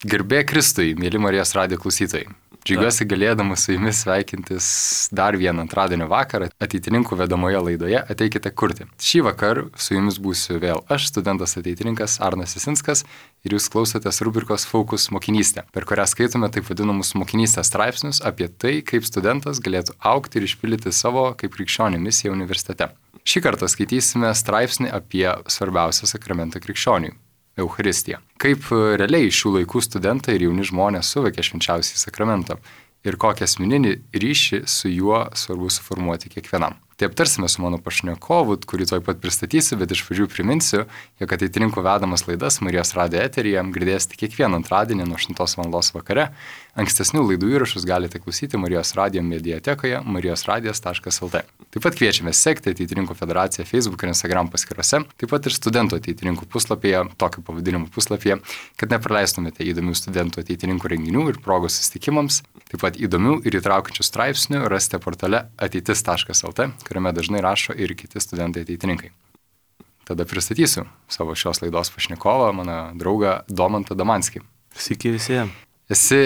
Garbė Kristui, mėly Marijos radijo klausytojai. Džiaugiuosi galėdamas su jumis sveikintis dar vieną antradienio vakarą ateitininkų vedamoje laidoje Ateikite kurti. Šį vakarą su jumis būsiu vėl aš, studentas ateitininkas Arnas Jasinskas, ir jūs klausotės rubrikos Fokus mokinystė, per kurią skaitome taip vadinamus mokinystės straipsnius apie tai, kaip studentas galėtų augti ir išpildyti savo kaip krikščionio misiją universitete. Šį kartą skaitysime straipsnį apie svarbiausią sakramentą krikščioniui – Eucharistiją. Kaip realiai šių laikų studentai ir jauni žmonės suvokia švenčiausiąjį sakramentą ir kokią asmeninį ryšį su juo svarbu suformuoti kiekvienam. Tai aptarsime su mano pašnekovu, kurį tuoj pat pristatysiu, bet iš pradžių priminsiu, jog ateitininkų vedamas laidas Marijos radijo eteryje girdėsite kiekvieną antradienį nuo 8 val. Vakare. Ankstesnių laidų įrašus galite klausyti Marijos radijo mediatekoje marijosradijas.lt. Taip pat kviečiame sekti Ateitininkų federaciją Facebook ir Instagram paskyrose, taip pat ir studentų ateitininkų puslapyje, tokiu pavadinimu puslapyje, kad nepraleistumėte įdomių studentų ateitininkų renginių ir progos susitikimams. Taip pat įdomių ir įtraukiančių straipsnių rasite portale ateitis.lt, kuriame dažnai rašo ir kiti studentai ateitininkai. Tada pristatysiu savo šios laidos pašnekovą, mano draugą Domantą Damanskį. Sveiki visi. Esi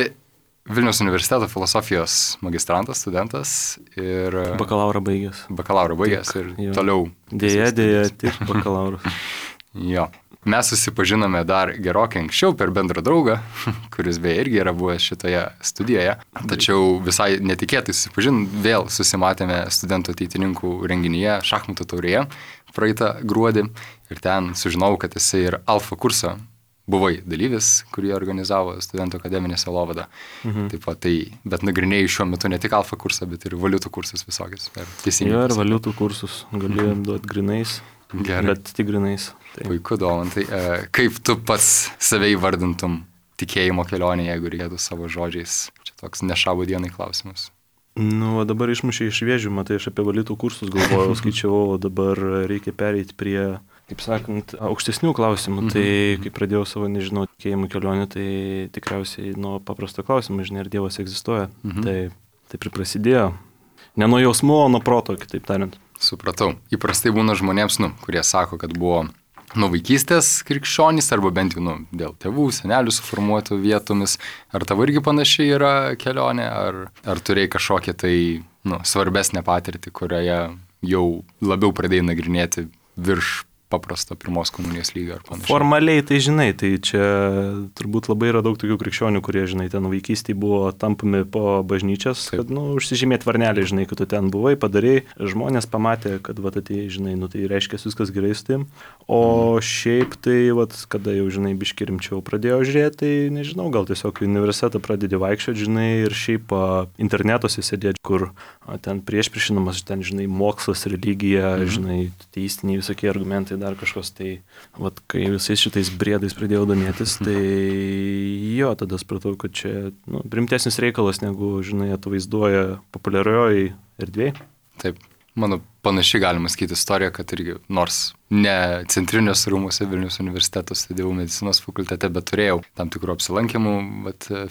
Vilniaus universiteto filosofijos magistrantas, studentas ir... Bakalaurą baigęs. Ir jo. Toliau. Dėja, tik bakalaurus. Jo. Mes susipažinome dar gerokai anksčiau per bendrą draugą, kuris beje irgi yra buvęs šitoje studijoje. Tačiau visai netikėtai vėl susimatėme studentų ateitininkų renginyje šachmatų taurėje praeitą gruodį. Ir ten sužinau, kad esi ir alfa kurso buvai dalyvis, kurį organizavo studentų akademinė sielovada. Taip pat bet nagrinėjai šiuo metu ne tik alfa kursą, bet ir valiutų kursus visokius. Jo, ir valiutų kursus. Galėjom duoti grinais. Gerai. Bet tik grinais. Tai. Puiku, Domantai. Kaip tu pats save įvardintum tikėjimo kelionė, jeigu reikėtų savo žodžiais? Čia toks nešabo dienai klausimas. Dabar išmušė iš vėžių, matai, aš apie valiutų kursus galvojau, skaičiavau, dabar reikia pereiti prie, kaip sakant, aukštesnių klausimų. Tai kai pradėjau savo, tikėjimo kelionę, tai tikriausiai nuo paprasto klausimo, ar Dievas egzistuoja. Tai taip ir prasidėjo. Ne nuo jausmų, o nuo proto, kitaip tariant. Supratau. Įprastai būna žmonėms, kurie sako, kad buvo nuo vaikystės krikščionys, arba bent jau dėl tėvų, senelių suformuotų vietomis. Ar tavo irgi panašiai yra kelionė, ar turėjai kažkokią tai svarbesnę patirtį, kurioje jau labiau pradėjai nagrinėti virš paprasto pirmos komunijos lygio ar panašiai? Formaliai tai tai čia turbūt labai yra daug tokių krikščionių, kurie, ten vaikystėje buvo tampami po bažnyčias, kad, užsižymėt varnelį, kad tu ten buvai, padarėjai, žmonės pamatė, kad, atėjai, tai reiškia viskas gerai su tim, o šiaip tai, kada jau, biški rimčiau pradėjo žiūrėti, tai, nežinau, gal tiesiog į universitetą pradedi vaikščioti, ir šiaip internetuose sėdėti, kur ten priešpriešinamas, ten, mokslas, religija, teistiniai visokie argumentai, dar kažkas, tai, kai visais šitais briedais pradėjau domėtis, tai jo, tada supratau, kad čia, rimtesnis reikalas, negu, atvaizduoja populiarioji erdvėje. Taip, mano panašiai galima sakyti istoriją, kad irgi, nors ne centrinės rūmose Vilniaus universiteto studijavau medicinos fakultete, bet turėjau tam tikrų apsilankymų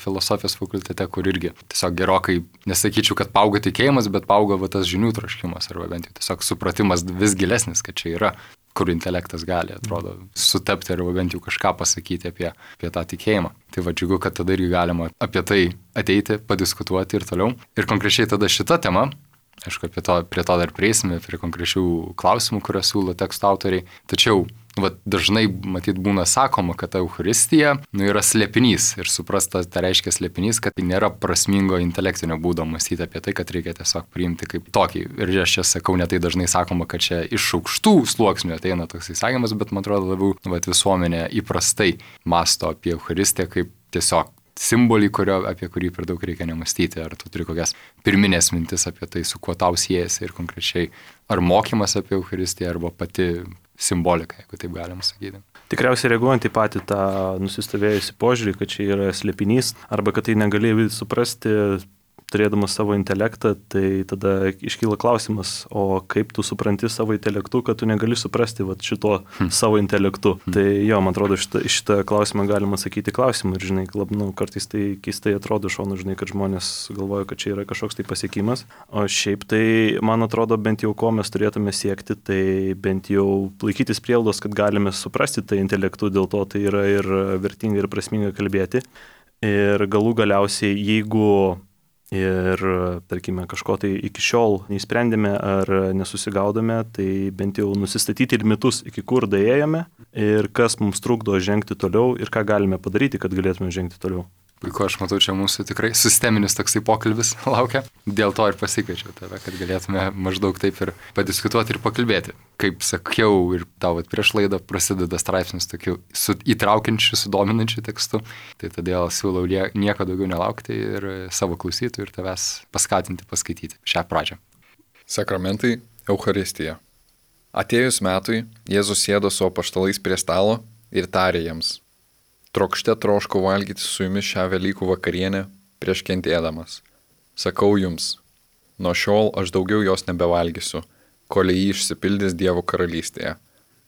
filosofijos fakultete, kur irgi tiesiog gerokai, nesakyčiau, kad paaugo tikėjimas, bet paaugo tas žinių troškimas, arba bent jau tiesiog supratimas vis gilesnis, kad čia yra, kur intelektas gali, atrodo, sutapti arba bent jau kažką pasakyti apie tą tikėjimą. Tai džiugu, kad tada irgi galima apie tai ateiti, padiskutuoti ir toliau. Ir konkrečiai tada šita tema, aišku, prie to dar prieisime, prie konkrečių klausimų, kuriuos siūlo teksto autoriai. Tačiau dažnai, matyt, būna sakoma, kad Eucharistija yra slėpinys. Ir suprasta, tai reiškia slėpinys, kad nėra prasmingo intelektinio būdo mąstyti apie tai, kad reikia tiesiog priimti kaip tokį. Ir aš čia sakau, ne tai dažnai sakoma, kad čia iš aukštų sluoksnių ateina toks įsakymas, bet man atrodo labiau visuomenė įprastai masto apie Eucharistiją kaip tiesiog simbolį, apie kurį per daug reikia nemastyti. Ar tu turi kokias pirminės mintis apie tai, su kuo tau siejasi ir konkrečiai, ar mokymas apie Eucharistiją, arba pati simbolika, jeigu taip galima sakyti. Tikriausiai reaguojant į patį tą nusistovėjusi požiūrį, kad čia yra slėpinys, arba kad tai negalėjai suprasti turėdamas savo intelektą, tai tada iškyla klausimas, o kaip tu supranti savo intelektu, kad tu negali suprasti šito savo intelektu. Tai jo, man atrodo, šitą klausimą galima sakyti klausimą ir, kartais tai keistai atrodo šonu, kad žmonės galvoja, kad čia yra kažkoks tai pasiekimas. O šiaip tai, man atrodo, bent jau ko mes turėtume siekti, tai bent jau laikytis prielaidos, kad galime suprasti tai intelektu, dėl to tai yra ir vertinga ir prasminga kalbėti. Ir galų galiausiai, jeigu ir, tarkime, kažko tai iki šiol neįsprendėme ar nesusigaudome, tai bent jau nusistatyti limitus, iki kur daėjome ir kas mums trukdo žengti toliau ir ką galime padaryti, kad galėtume žengti toliau. Puiku, aš matau, čia mūsų tikrai sisteminis toksai pokalbis laukia. Dėl to ir pasikviečiau tave, kad galėtume maždaug taip ir padiskutuoti ir pakalbėti. Kaip sakiau, ir tau prieš laidą prasideda straipsnis tokiu įtraukiančiu, sudominančiu tekstu. Tai todėl siūlau nieko daugiau nelaukti ir savo klausytojų ir tavęs paskatinti paskaityti šią pradžią. Sakramentai, Eucharistija. Atėjus metui, Jėzus sėdo su apaštalais prie stalo ir tarė jiems: Trokšte troškau valgyti su jumis šią Velykų vakarienę prieš kentėdamas. Sakau jums, nuo šiol aš daugiau jos nebevalgysiu, kol jį išsipildys Dievo karalystėje.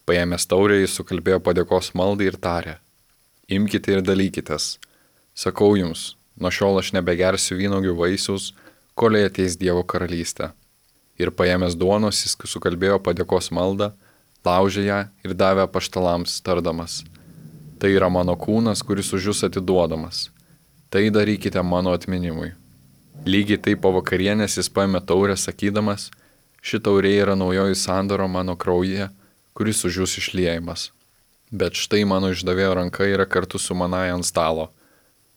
Paėmęs taurę, jis sukalbėjo padėkos maldą ir tarė: Imkite ir dalykitės. Sakau jums, nuo šiol aš nebegersiu vynuogių vaisiaus, kol ateis Dievo karalystė. Ir paėmęs duonos, jis sukalbėjo padėkos maldą, laužė ją ir davė apaštalams, tardamas: Tai yra mano kūnas, kuris už jūs atiduodamas. Tai darykite mano atminimui. Lygiai taip po vakarienės jis paėmė taurę, sakydamas: Ši taurė yra naujoji sandoro mano kraujyje, kuris už jūs išliejamas. Bet štai mano išdavėjo ranka yra kartu su manąja ant stalo.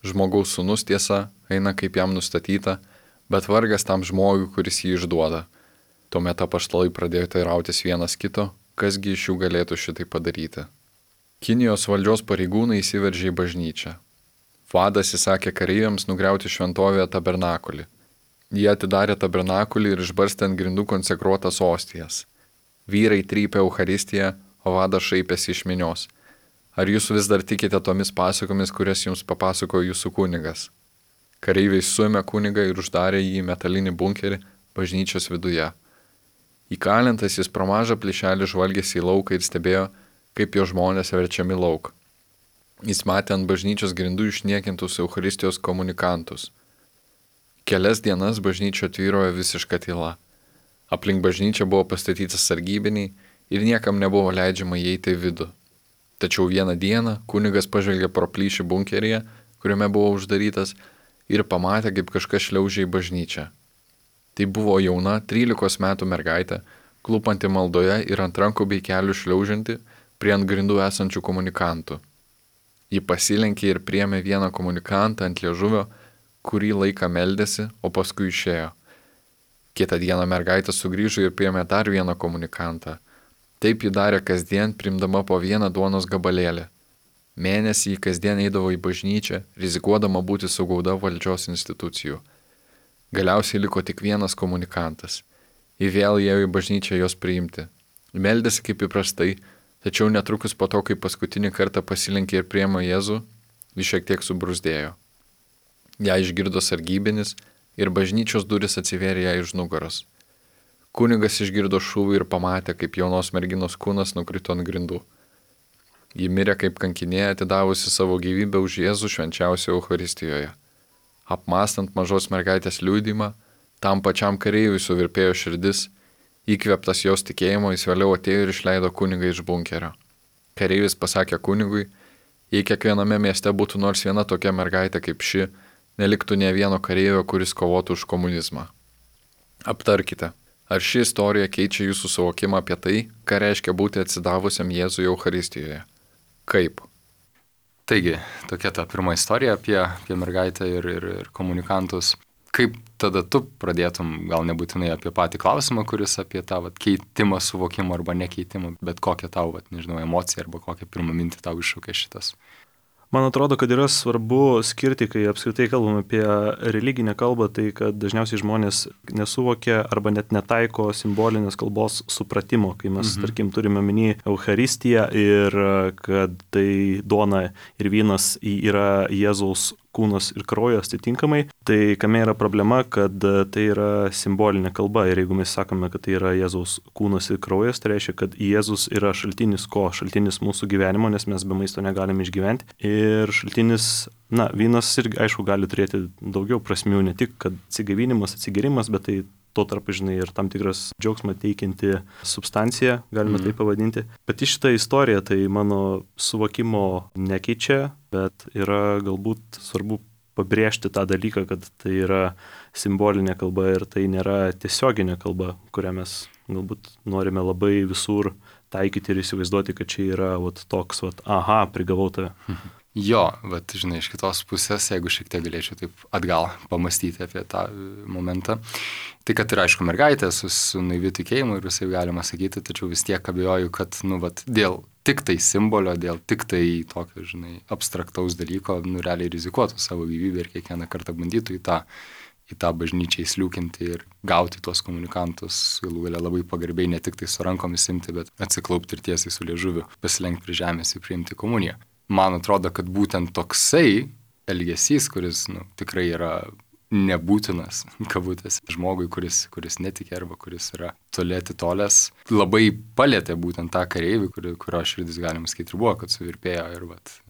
Žmogaus sūnus, tiesa, eina kaip jam nustatyta, bet vargas tam žmogui, kuris jį išduoda. Tuomet apaštalai pradėjo teirautis vienas kito, kasgi iš jų galėtų šitai padaryti. Kinijos valdžios pareigūnai įsiveržė į bažnyčią. Vadas įsakė kareiviams nugriauti šventovėje tabernakulį. Jie atidarė tabernakulį ir išbarstė ant grindų konsekruotas ostijas. Vyrai trypė Eucharistiją, o vadas šaipėsi iš minios. Ar jūs vis dar tikite tomis pasakomis, kurias jums papasakojo jūsų kunigas? Kareiviai suėmė kunigą ir uždarė jį į metalinį bunkerį bažnyčios viduje. Įkalintas jis pro mažą plyšelį žvalgėsi į lauką ir stebėjo, kaip jo žmonės verčiami lauk. Jis matė ant bažnyčios grindų išniekintus Eucharistijos komunikantus. Kelias dienas bažnyčio tvyrojo visiška tyla. Aplink bažnyčią buvo pastatytas sargybiniai ir niekam nebuvo leidžiama įeiti į vidų. Tačiau vieną dieną kunigas pažvelgė pro plyšį bunkeryje, kuriame buvo uždarytas, ir pamatė, kaip kažkas šliaužė į bažnyčią. Tai buvo jauna 13 metų mergaitė, klupanti maldoje ir ant rankų bei kelių šliaužianti prie ant grindų esančių komunikantų. Ji pasilenkė ir priėmė vieną komunikantą ant liežuvio, kurį laiką meldėsi, o paskui išėjo. Kitą dieną mergaitė sugrįžo ir priėmė dar vieną komunikantą. Taip ji darė kasdien, primdama po vieną duonos gabalėlį. Mėnesį ji kasdien eidavo į bažnyčią, rizikuodama būti sugauta valdžios institucijų. Galiausiai liko tik vienas komunikantas. Ji vėl ėjo į bažnyčią jos priimti. Meldėsi kaip įprastai, tačiau netrukus po to, kai paskutinį kartą pasilenkė ir priėmė Jėzų, jis šiek tiek subrūzdėjo. Ją išgirdo sargybinis ir bažnyčios duris atsivėrė ją iš nugaros. Kunigas išgirdo šūvį ir pamatė, kaip jaunos merginos kūnas nukrito ant grindų. Ji mirė kaip kankinė, atidavusi savo gyvybę už Jėzų švenčiausioje Eucharistijoje. Apmąstant mažos mergaitės liudijimą, tam pačiam kareiviui suvirpėjo širdis. Įkvėptas jos tikėjimo, jis vėliau atėjo ir išleido kunigą iš bunkerio. Kareivis pasakė kunigui: Jei kiekviename mieste būtų nors viena tokia mergaitė kaip ši, neliktų nė vieno kareivio, kuris kovotų už komunizmą. Aptarkite, ar ši istorija keičia jūsų suvokimą apie tai, ką reiškia būti atsidavusiam Jėzui Eucharistijoje? Kaip? Taigi, tokia ta pirma istorija apie mergaitę ir komunikantus. Kaip tada tu pradėtum, gal nebūtinai apie patį klausimą, kuris apie tą keitimą suvokimą arba nekeitimą, bet kokią tau, emociją arba kokią pirmą mintį tau iššūkė šitas? Man atrodo, kad yra svarbu skirti, kai apskritai kalbam apie religinę kalbą, tai kad dažniausiai žmonės nesuvokia arba net netaiko simbolinės kalbos supratimo, kai mes, tarkim, turime omeny Eucharistiją ir kad tai duona ir vynas yra Jėzaus kūnas ir kraujas atitinkamai, tai kame yra problema, kad tai yra simbolinė kalba ir jeigu mes sakome, kad tai yra Jėzaus kūnas ir kraujas, tai reiškia, kad Jėzus yra šaltinis ko? Šaltinis mūsų gyvenimo, nes mes be maisto negalime išgyventi. Ir šaltinis, vynas irgi, aišku, gali turėti daugiau prasmių, ne tik, kad atsigavinimas, atsigerimas, bet tai tuo tarpu, ir tam tikras džiaugsmą teikianti substancija, galime tai pavadinti. Pati šitą istoriją tai mano suvokimo nekeičia, bet yra galbūt svarbu pabrėžti tą dalyką, kad tai yra simbolinė kalba ir tai nėra tiesioginė kalba, kurią mes galbūt norime labai visur taikyti ir įsivaizduoti, kad čia yra toks, aha, prigavau tave. Jo, bet žinai, iš kitos pusės, jeigu šiek tiek galėčiau taip atgal pamastyti apie tą momentą, tai kad ir aišku mergaitė su naiviu tikėjimu ir visai galima sakyti, tačiau vis tiek abejoju, kad, dėl tik tai simbolio, dėl tik tai tokio, žinai, abstraktaus dalyko, realiai rizikuotų savo gyvybę ir kiekvieną kartą bandytų į tą bažnyčią įsliūkinti ir gauti tuos komunikantus, galų galia labai pagarbiai ne tik tai su rankomis imti, bet atsiklaupti ir tiesiai su liežuviu, pasilenkti prie žemės ir priimti komuniją. Man atrodo, kad būtent toksai elgesys, kuris tikrai yra nebūtinas, kabutės, žmogui, kuris netikė arba kuris yra toli atitolęs, labai palėtė būtent tą kareivį, kurio širdis, galima sakyti, ir buvo, kad suvirpėjo ir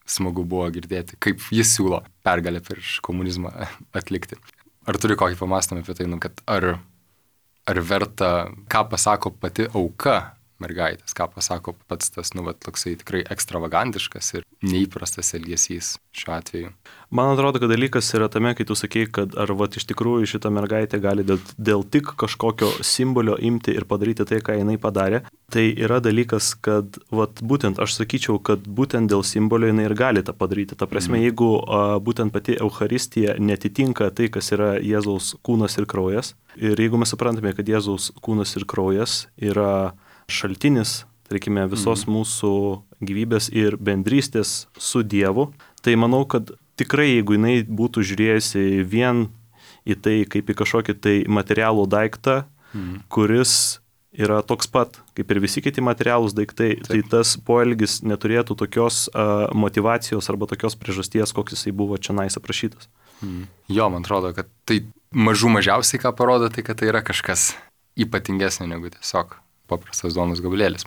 smagu buvo girdėti, kaip jis siūlo pergalę prieš komunizmą atlikti. Ar turi kokį pamastymą apie tai, kad ar verta, ką pasako pati auka mergaitės, ką pasako pats tas, toksai tikrai ekstravagantiškas ir neįprastas elgesys šiuo atveju. Man atrodo, kad dalykas yra tame, kai tu sakei, kad ar iš tikrųjų šita mergaitė gali dėl tik kažkokio simbolio imti ir padaryti tai, ką jinai padarė. Tai yra dalykas, kad būtent aš sakyčiau, kad būtent dėl simbolio jinai ir gali tą padaryti. Ta prasme, jeigu būtent pati Eucharistija netitinka tai, kas yra Jėzaus kūnas ir kraujas, ir jeigu mes suprantame, kad Jėzaus kūnas ir kraujas yra šaltinis, tarkime, visos mūsų gyvybės ir bendrystės su Dievu, tai manau, kad tikrai, jeigu jinai būtų žiūrėjusi vien į tai kaip į kažkokį tai materialų daiktą, kuris yra toks pat, kaip ir visi kiti materialūs daiktai, tai tas poelgis neturėtų tokios motivacijos arba tokios priežasties, koks jisai buvo čionais aprašytas. Jo, man atrodo, kad tai mažiausiai ką parodo, tai kad tai yra kažkas ypatingesnio negu tiesiog paprastas duonos gabalėlis.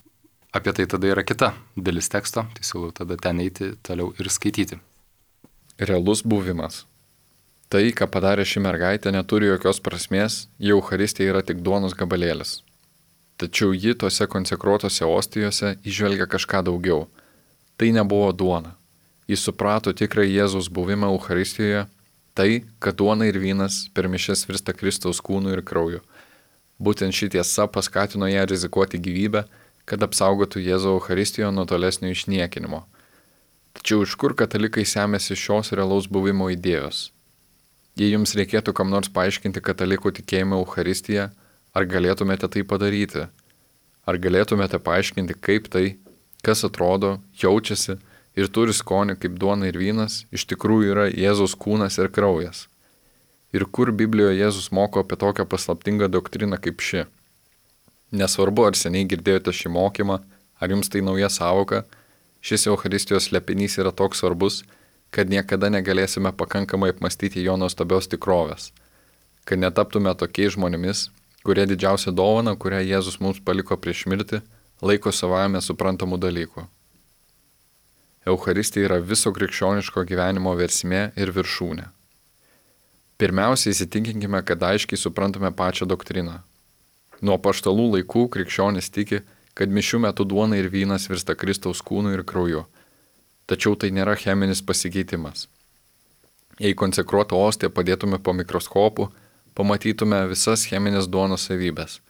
Apie tai tada yra kita dalis teksto, tai siūlau tada ten eiti toliau ir skaityti. Realus buvimas. Tai, ką padarė ši mergaitė, neturi jokios prasmės, jau Eucharistija yra tik duonos gabalėlis. Tačiau ji tose konsekruotose ostijose įžvelgia kažką daugiau. Tai nebuvo duona. Jis suprato tikrą Jėzaus buvimą Eucharistijoje, tai, kad duona ir vynas per mišias virsta Kristaus kūnu ir krauju. Būtent ši tiesa paskatino ją rizikuoti gyvybę, kad apsaugotų Jėzų Eucharistijoje nuo tolesnio išniekinimo. Tačiau iš kur katalikai semėsi šios realaus buvimo idėjos? Jei jums reikėtų kam nors paaiškinti katalikų tikėjimą Eucharistiją, ar galėtumėte tai padaryti? Ar galėtumėte paaiškinti, kaip tai, kas atrodo, jaučiasi ir turi skonį kaip duona ir vynas, iš tikrųjų yra Jėzaus kūnas ir kraujas? Ir kur Biblijoje Jėzus moko apie tokią paslaptingą doktriną kaip ši? Nesvarbu, ar seniai girdėjote šį mokymą, ar jums tai nauja sąvoka, šis Eucharistijos slėpinys yra toks svarbus, kad niekada negalėsime pakankamai apmastyti jo nuostabios tikrovės, kad netaptume tokiais žmonėmis, kurie didžiausią dovaną, kurią Jėzus mums paliko prieš mirtį, laiko savame suprantamų dalykų. Eucharistija yra viso krikščioniško gyvenimo versmė ir viršūnė. Pirmiausia, įsitikinkime, kad aiškiai suprantame pačią doktriną. Nuo apaštalų laikų krikščionis tiki, kad mišių metu duona ir vynas virsta Kristaus kūnu ir krauju. Tačiau tai nėra cheminis pasikeitimas. Jei konsekruotą ostiją padėtume po mikroskopu, pamatytume visas cheminės duonos savybės.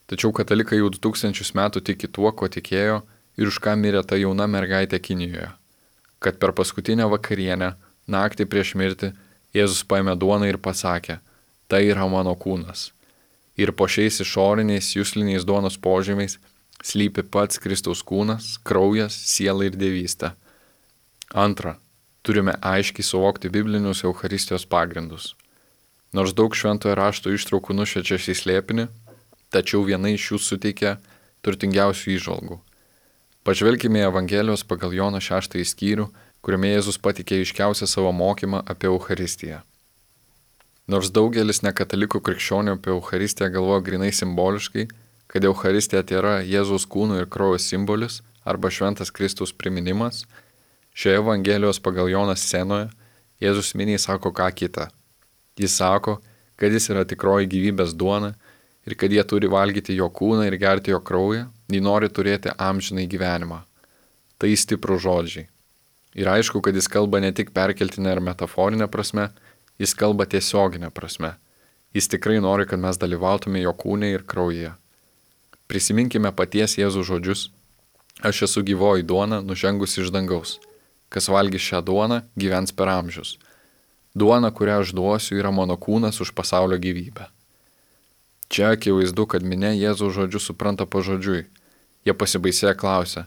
Tačiau katalikai jau 2000 metų tiki tuo, ko tikėjo ir už ką mirė ta jauna mergaitė Kinijoje. Kad per paskutinę vakarienę, naktį prieš mirtį, Jėzus paėmė duoną ir pasakė, tai yra mano kūnas. Ir po šiais išoriniais jusliniais duonos požymiais slypi pats Kristaus kūnas, kraujas, siela ir dievystė. Antra, turime aiškiai suvokti biblinius Eucharistijos pagrindus. Nors daug šventojo rašto ištraukų nušviečia šį slėpinį, tačiau viena iš jų suteikia turtingiausių įžvalgų. Pažvelkime į Evangelijos pagal Jono 6 skyrių, kuriame Jėzus patikė aiškiausią savo mokymą apie Eucharistiją. Nors daugelis nekatalikų krikščionių apie Eucharistiją galvoja grinai simboliškai, kad Eucharistija tai yra Jėzaus kūno ir kraujo simbolis arba šventas Kristaus priminimas, šioje Evangelijos pagal Joną scenoje Jėzus miniai sako ką kitą. Jis sako, kad jis yra tikroji gyvybės duona ir kad jie turi valgyti jo kūną ir gerti jo kraują, jei nori turėti amžinai gyvenimą. Tai stiprų žodžiai. Ir aišku, kad jis kalba ne tik perkeltinę ar metaforinę prasme, Jis kalba tiesioginė prasme. Jis tikrai nori, kad mes dalyvautume jo kūne ir kraujyje. Prisiminkime paties Jėzų žodžius. Aš esu gyvoji duona, nužengusi iš dangaus. Kas valgys šią duoną, gyvens per amžius. Duona, kurią aš duosiu, yra mano kūnas už pasaulio gyvybę. Čia akivaizdu, kad minia Jėzaus žodžius supranta pažodžiui. Jie pasibaisėję klausia,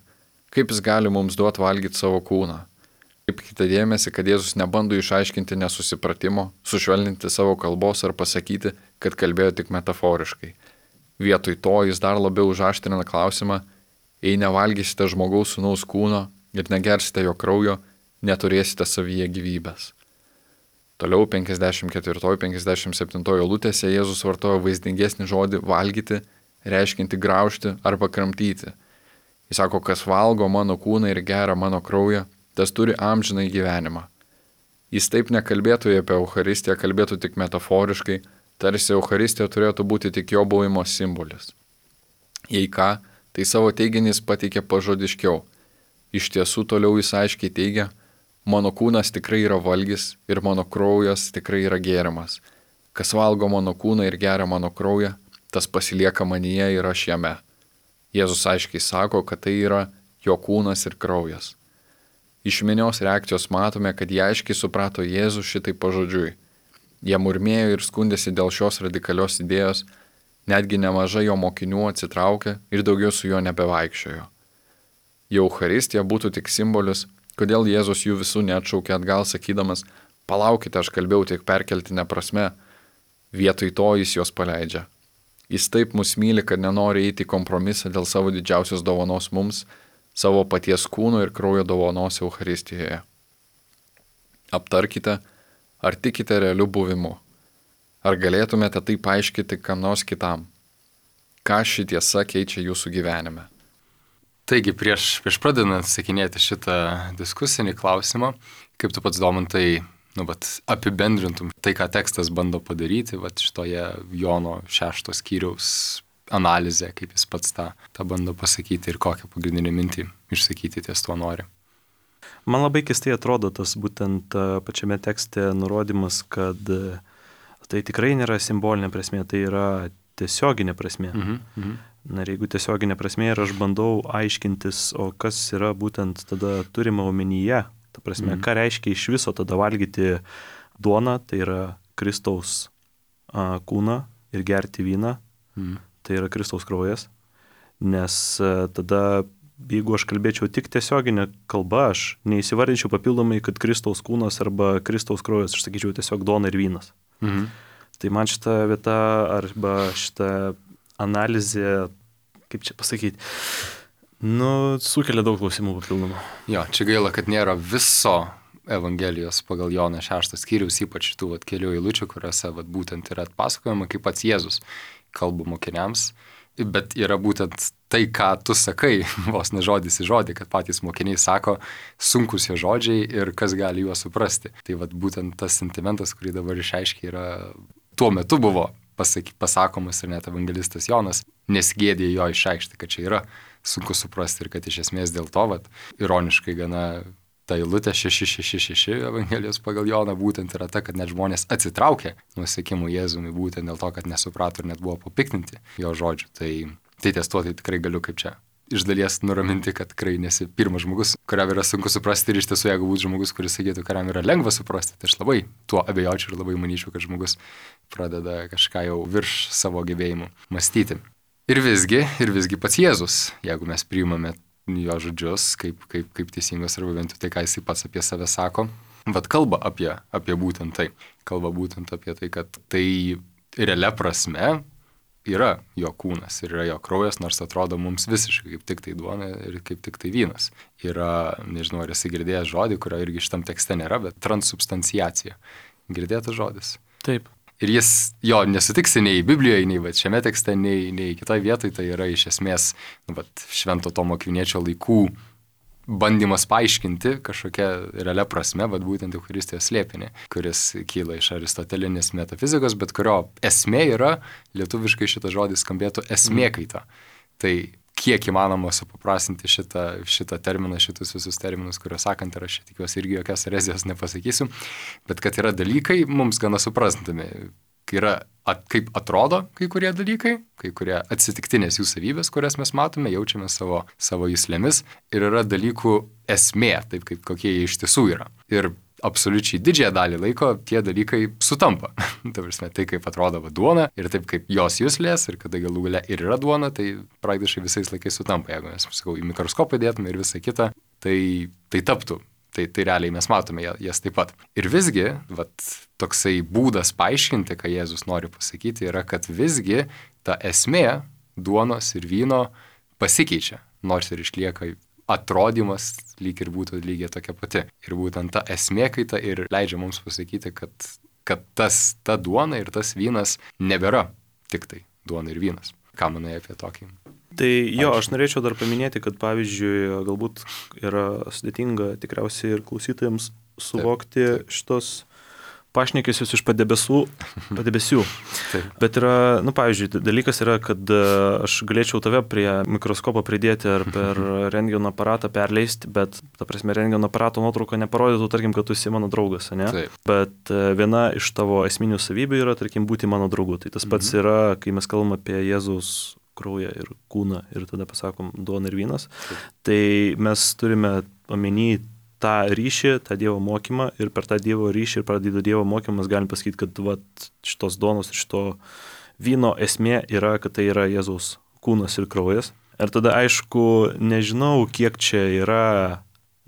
kaip jis gali mums duoti valgyti savo kūną. Kaip kita dėmesį, kad Jėzus nebando išaiškinti nesusipratimo, sušvelninti savo kalbos ar pasakyti, kad kalbėjo tik metaforiškai. Vietoj to jis dar labiau užaštrina klausimą, jei nevalgysite žmogaus sūnaus kūno ir negersite jo kraujo, neturėsite savyje gyvybės. Toliau 54-57 eilutėse Jėzus vartojo vaizdingesnį žodį valgyti, reiškinti graužti arba kramtyti. Jis sako, kas valgo mano kūną ir geria mano kraują, tas turi amžinai gyvenimą. Jis taip nekalbėtų apie Eucharistiją, kalbėtų tik metaforiškai, tarsi Eucharistija turėtų būti tik jo buvimo simbolis. Jei ką, tai savo teiginys pateikė pažodiškiau. Iš tiesų toliau jis aiškiai teigia, mano kūnas tikrai yra valgis ir mano kraujas tikrai yra gėrimas. Kas valgo mano kūną ir geria mano kraują, tas pasilieka manyje ir aš jame. Jėzus aiškiai sako, kad tai yra jo kūnas ir kraujas. Iš minios reakcijos matome, kad jie aiškiai suprato Jėzų šitai pažodžiui. Jie murmėjo ir skundėsi dėl šios radikalios idėjos, netgi nemažai jo mokinių atsitraukė ir daugiau su juo nebevaikščiojo. Jau Eucharistija būtų tik simbolis, kodėl Jėzus jų visų neatšaukė atgal, sakydamas, palaukite, aš kalbėjau tik perkeltinę prasme, vietoj to jis juos paleidžia. Jis taip mus myli, kad nenori eiti į kompromisą dėl savo didžiausios dovanos mums, savo paties kūno ir kraujo dovanos Eucharistijoje. Aptarkite, ar tikite realiu buvimu. Ar galėtumėte tai paaiškinti kam nors kitam? Ką ši tiesa keičia jūsų gyvenime? Taigi, prieš pradedant sakinėti šitą diskusinį klausimą, kaip tu pats, Domantai, apibendrintum tai, ką tekstas bando padaryti, šitoje Jono 6 skyriaus analizė, kaip jis pats tą bando pasakyti ir kokią pagrindinę mintį išsakyti ties tuo nori. Man labai keistai atrodo tas būtent pačiame tekste nurodymas, kad tai tikrai nėra simbolinė prasmė, tai yra tiesioginė prasmė. Na ir jeigu tiesioginė prasmė ir aš bandau aiškintis, o kas yra būtent tada turima omenyje, ta prasme, ką reiškia iš viso tada valgyti duoną, tai yra Kristaus kūną ir gerti vyną, tai yra Kristaus kraujas, nes tada, jeigu aš kalbėčiau tik tiesioginę kalbą, aš neįsivardinčiau papildomai, kad Kristaus kūnas arba Kristaus kraujas, aš sakyčiau tiesiog duona ir vynas. Tai man šita vieta arba šita analizė, kaip čia pasakyti, sukelia daug klausimų papildomų. Jo, čia gaila, kad nėra viso Evangelijos pagal Joną 6 skyriaus, ypač tų kelių eilučių, kuriuose būtent yra atpasakojama, kaip pats Jėzus kalba mokiniams, bet yra būtent tai, ką tu sakai, vos ne žodis į žodį, kad patys mokiniai sako sunkus jo žodžiai ir kas gali juos suprasti. Tai būtent tas sentimentas, kurį dabar išaiškiai yra, tuo metu buvo pasakomas ir net evangelistas Jonas nesigėdė jo išreikšti, kad čia yra sunku suprasti ir kad iš esmės dėl to, ironiškai gana ta eilutė 666 Evangelijos pagal Joną būtent yra ta, kad net žmonės atsitraukė nuo sekimo Jėzumi būtent dėl to, kad nesuprato ir net buvo papiktinti jo žodžių. Tai ties tuo tai tikrai galiu kaip čia iš dalies nuraminti, kad tikrai nesi pirmas žmogus, kuriam yra sunku suprasti ir iš tiesų, jeigu būtų žmogus, kuris sakytų, kuriam yra lengva suprasti, tai aš labai tuo abejočiau ir labai manyčiau, kad žmogus pradeda kažką jau virš savo gebėjimų mąstyti. Ir visgi pats Jėzus, jeigu mes priimame jo žodžius, kaip teisingas arba bent tai, ką jis pats apie save sako, kalba apie būtent tai. Kalba būtent apie tai, kad tai realia prasme yra jo kūnas ir yra jo kraujas, nors atrodo mums visiškai kaip tik tai duona ir kaip tik tai vynas. Yra, nežinau, ar esi girdėjęs žodį, kurio irgi šitam tekste nėra, bet transubstanciacija. Girdėtas žodis? Taip. Ir jis jo nesutiksi nei Biblijoje, nei šiame tekste, nei kitoje vietoje, tai yra iš esmės Švento Tomo Akviniečio laikų bandymas paaiškinti kažkokią realią prasme, būtent Eucharistijos slėpinį, kuris kyla iš aristotelinės metafizikos, bet kurio esmė yra, lietuviškai šitas žodis skambėtų esmė kaita. Tai kiek įmanoma supaprastinti šitą terminą, šitus visus terminus, kuriuos sakant, ir aš tikiuosi irgi jokios erezijos nepasakysiu, bet kad yra dalykai mums gana suprantami, kai yra kaip atrodo kai kurie dalykai, kai kurie atsitiktinės jų savybės, kurias mes matome, jaučiame savo juslėmis, ir yra dalykų esmė, taip kaip kokie jie iš tiesų yra. Ir absoliučiai didžiąją dalį laiko tie dalykai sutampa. Tai kaip atrodo duona ir taip kaip jos juslės ir kada galų gale ir yra duona, tai praktiškai visais laikais sutampa. Jeigu mes, sakau, į mikroskopą dėtume ir visą kitą, tai taptų. Tai realiai mes matome jas taip pat. Ir visgi, toksai būdas paaiškinti, ką Jėzus nori pasakyti, yra, kad visgi ta esmė duonos ir vyno pasikeičia, nors ir išlieka atrodymas lyg ir būtų lygiai tokia pati. Ir būtent ta esmė kaita ir leidžia mums pasakyti, kad ta duona ir tas vynas nebėra tik tai duona ir vynas. Ką manai apie tokį? Tai jo, aš norėčiau dar paminėti, kad pavyzdžiui, galbūt yra sudėtinga tikriausiai ir klausytojams suvokti šitos pašnekesius iš padebesių. Taip. Bet yra, pavyzdžiui, dalykas yra, kad aš galėčiau tave prie mikroskopo pridėti ar per rentgeno aparatą perleisti, bet, ta prasme, rentgeno aparato nuotrauką neparodytų, tarkim, kad tu esi mano draugas, ne? Taip. Bet viena iš tavo esminių savybių yra, tarkim, būti mano draugu. Tai tas pats yra, kai mes kalbame apie Jėzaus kraują ir kūną ir tada pasakom duona ir vynas. Taip. Tai mes turime omeny tą ryšį, tą Dievo mokymą ir per tą Dievo ryšį ir per Dievo mokymą mes galim pasakyti, kad šitos duonos ir šito vyno esmė yra, kad tai yra Jėzaus kūnas ir kraujas. Ir tada aišku, nežinau, kiek čia yra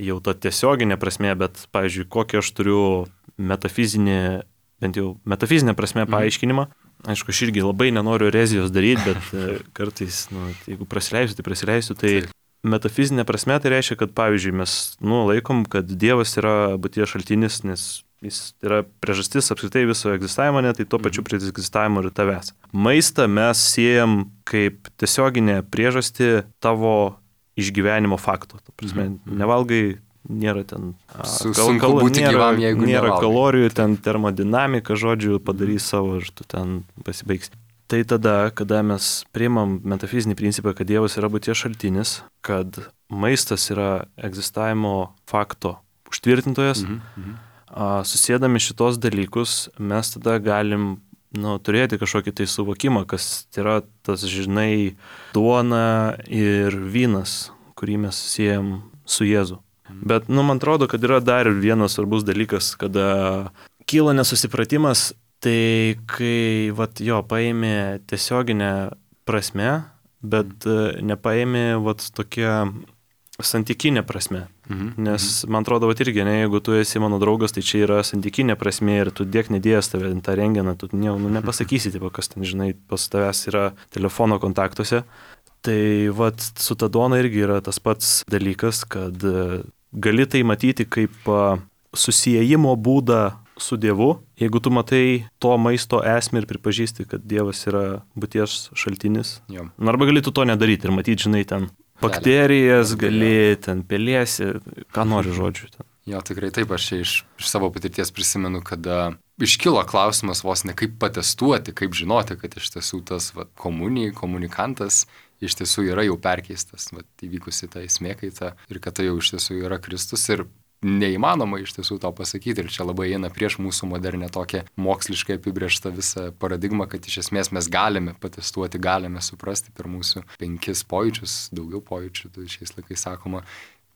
jau ta tiesioginė prasmė, bet, pavyzdžiui, kokį aš turiu metafizinį, bent jau metafizinę prasme paaiškinimą. Aišku, aš irgi labai nenoriu erezijos daryti, bet kartais, jeigu prasileisiu, tai prasileisiu, tai metafizinė prasme tai reiškia, kad, pavyzdžiui, mes laikom, kad Dievas yra būties šaltinis, nes jis yra priežastis apskritai viso egzistavimo, tai tuo pačiu prie egzistavimo ir tavęs. Maistą mes siejam kaip tiesioginę priežastį tavo išgyvenimo fakto. Ta prasme, nevalgai, nėra ten sunku būti gyvam, jeigu nėra nevalgai. Kalorijų, ten termodinamika, žodžiu, padarys savo ir tu ten pasibaigsi. Tai tada, kada mes priimam metafizinį principą, kad Dievas yra būties šaltinis, kad maistas yra egzistavimo fakto užtvirtintojas, susėdami šitos dalykus, mes tada galim turėti kažkokį tai suvokimą, kas yra tas, žinai, duona ir vynas, kurį mes siejam su Jėzu. Bet, man atrodo, kad yra dar vienas svarbus dalykas, kada kyla nesusipratimas. Tai kai, paėmė tiesioginę prasme, bet nepaėmė, tokia santykinė prasme. Nes, man atrodo, irgi, jeigu tu esi mano draugas, tai čia yra santykinė prasme ir tu dėk nedėjęs tave tą rengeną, tu nepasakysi, kas ten, žinai, pas tavęs yra telefono kontaktuose. Tai, su ta duona irgi yra tas pats dalykas, kad gali tai matyti kaip susiejimo būdą su Dievu, jeigu tu matai to maisto esmę ir pripažįsti, kad Dievas yra būties šaltinis. Arba gali tu to nedaryti ir matyti, žinai, ten bakterijas, gali ten pelėsi, ką nori žodžiu. Ten. Jo, tikrai taip, aš iš savo patirties prisimenu, kada iškilo klausimas vos ne kaip patestuoti, kaip žinoti, kad iš tiesų tas komunikantas iš tiesų yra jau perkeistas, įvykusi ta esmė kaita ir kad tai jau iš tiesų yra Kristus ir neįmanoma iš tiesų to pasakyti ir čia labai eina prieš mūsų modernę tokią moksliškai apibrėžtą visą paradigmą, kad iš esmės mes galime patestuoti, galime suprasti per mūsų 5 pojūčius, daugiau pojūčių, šiais laikais sakoma,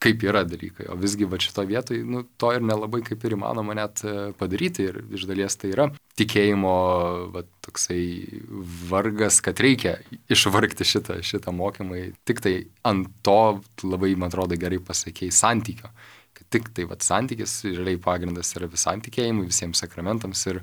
kaip yra dalykai. O visgi šito vietoj, to ir nelabai kaip ir įmanoma net padaryti ir iš dalies tai yra tikėjimo toksai vargas, kad reikia išvargti šitą mokymą. Tik tai ant to labai, man atrodo, gerai pasakėjai santykio. Tik tai santykis, realiai pagrindas yra visam tikėjimui, visiems sakramentams ir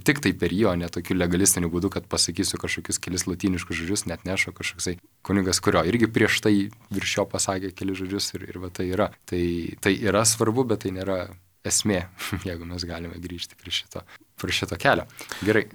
tik tai per jo, ne tokiu legalistiniu būdu, kad pasakysiu kažkokius kelis lotyniškus žodžius, net neša kažkoksai kunigas, kurio irgi prieš tai virš jo pasakė kelis žodžius ir tai yra. Tai yra svarbu, bet tai nėra esmė, jeigu mes galime grįžti prie šito kelio. Gerai.